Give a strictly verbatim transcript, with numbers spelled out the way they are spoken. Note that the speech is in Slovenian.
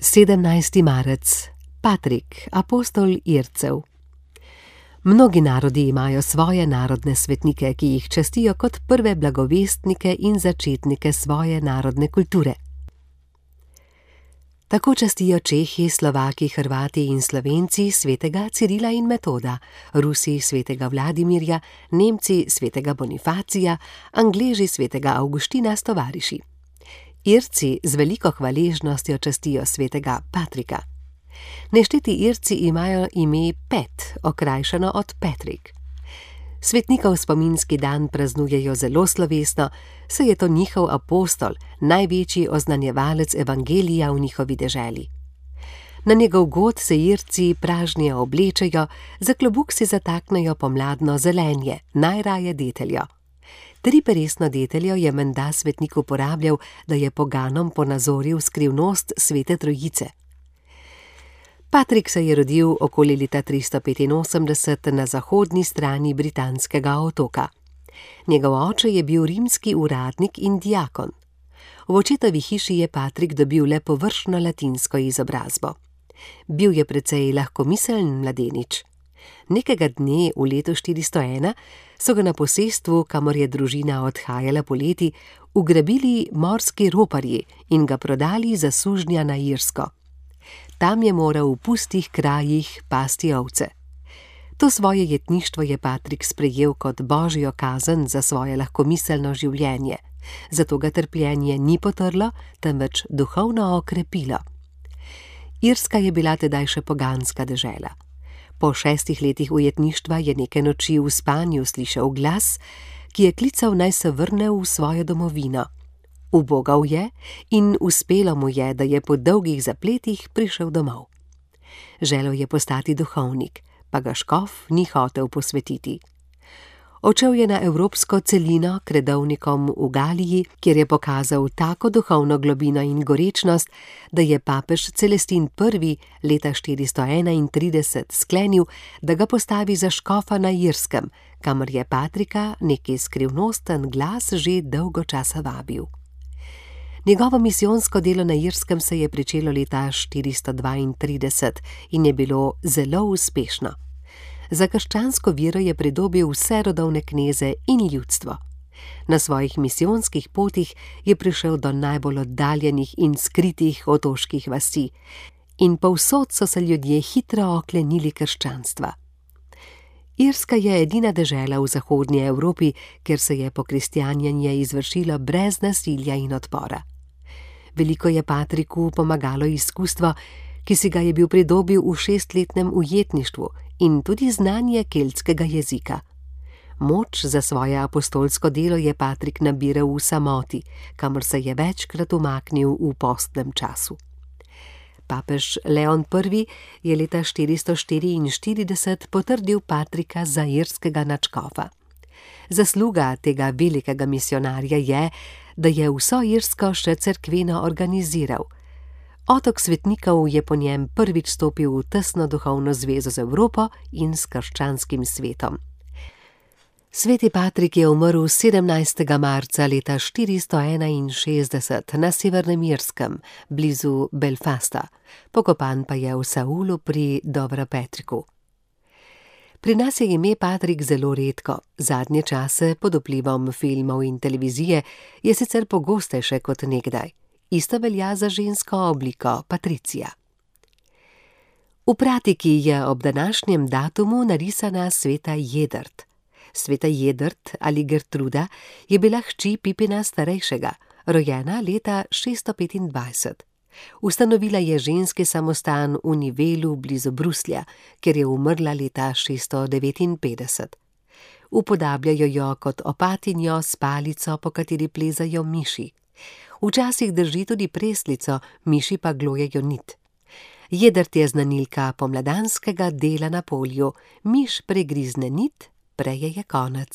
sedemnajsti marec. Patrik, apostol Ircev. Mnogi narodi imajo svoje narodne svetnike, ki jih častijo kot prve blagovestnike in začetnike svoje narodne kulture. Tako častijo Čehi, Slovaki, Hrvati in Slovenci svetega Cirila in Metoda, Rusi svetega Vladimirja, Nemci svetega Bonifacija, Angleži svetega Avguština s tovariši. Irci z veliko hvaležnostjo častijo svetega Patrika. Nešteti Irci imajo ime Pet, okrajšano od Patrick. Svetnikov spominski dan praznujejo zelo slovesno, saj je to njihov apostol, največji oznanjevalec evangelija v njihovi deželi. Na njegov god se Irci pražnje oblečejo, za klobuk si zataknejo pomladno zelenje, najraje deteljo. Triperesno deteljo je menda svetnik uporabljal, da je poganom ponazoril skrivnost svete trojice. Patrik se je rodil okoli leta tristo petinosemdeset na zahodni strani britanskega otoka. Njegov oče je bil rimski uradnik in diakon. V očetovi hiši je Patrik dobil le površno latinsko izobrazbo. Bil je precej lahkomiseln mladenič. Nekega dne v letu štiristo ena so ga na posestvu, kamor je družina odhajala poleti, ugrabili morski roparji in ga prodali za sužnja na Irsko. Tam je moral v pustih krajih pasti ovce. To svoje jetništvo je Patrik sprejel kot božjo kazen za svoje lahkomiselno življenje, zato ga trpljenje ni potrlo, temveč duhovno okrepilo. Irska je bila tedaj še poganska dežela. Po šestih letih ujetništva je neke noči v spanju slišal glas, ki je klical, naj se vrne v svojo domovino. Ubogal je in uspelo mu je, da je po dolgih zapletih prišel domov. Želel je postati duhovnik, pa ga škof ni hotel posvetiti. Odšel je na evropsko celino k redovnikom v Galiji, kjer je pokazal tako duhovno globino in gorečnost, da je papež Celestin prvi leta štiristo enaintrideset sklenil, da ga postavi za škofa na Irskem, kamor je Patrika neki skrivnosten glas že dolgo časa vabil. Njegovo misijonsko delo na Irskem se je pričelo leta štiristo dvaintrideset in je bilo zelo uspešno. Za krščansko vero je pridobil vse rodovne kneze in ljudstvo. Na svojih misijonskih potih je prišel do najbolj oddaljenih in skritih otoških vasi in povsod so se ljudje hitro oklenili krščanstva. Irska je edina dežela v zahodnji Evropi, kjer se je pokristjanjenje izvršilo brez nasilja in odpora. Veliko je Patriku pomagalo izkustvo, ki si ga je bil pridobil v šestletnem ujetništvu, in tudi znanje keltskega jezika. Moč za svoje apostolsko delo je Patrik nabiral v samoti, kamor se je večkrat umaknil v postnem času. Papež Leon prvi je leta štiristo štiriinštirideset potrdil Patrika za irskega nadškofa. Zasluga tega velikega misionarja je, da je vso Irsko še cerkveno organiziral. Otok svetnikov je po njem prvič stopil v tesno duhovno zvezo z Evropo in s krščanskim svetom. Sveti Patrik je umrl sedemnajstega marca leta štiristo enainšestdeset na Severnem Irskem, blizu Belfasta, pokopan pa je v Saulu pri Doverpatricku. Pri nas je ime Patrik zelo redko, zadnje čase pod vplivom filmov in televizije je sicer pogostejše kot nekdaj. Isto velja za žensko obliko Patricija. V pratiki je ob današnjem datumu narisana sveta Jedrt. Sveta Jedrt ali Gertruda je bila hči Pipina starejšega, rojena leta šeststo petindvajset. Ustanovila je ženski samostan v Nivelu blizu Bruslja, kjer je umrla leta šeststo devetinpetdeset. Upodabljajo jo kot opatinjo s palico, po kateri plezajo miši. Včasih drži tudi preslico, miši pa glojejo nit. Jedrt je znanilka pomladanskega dela na polju, miš pregrizne nit, prej je konec.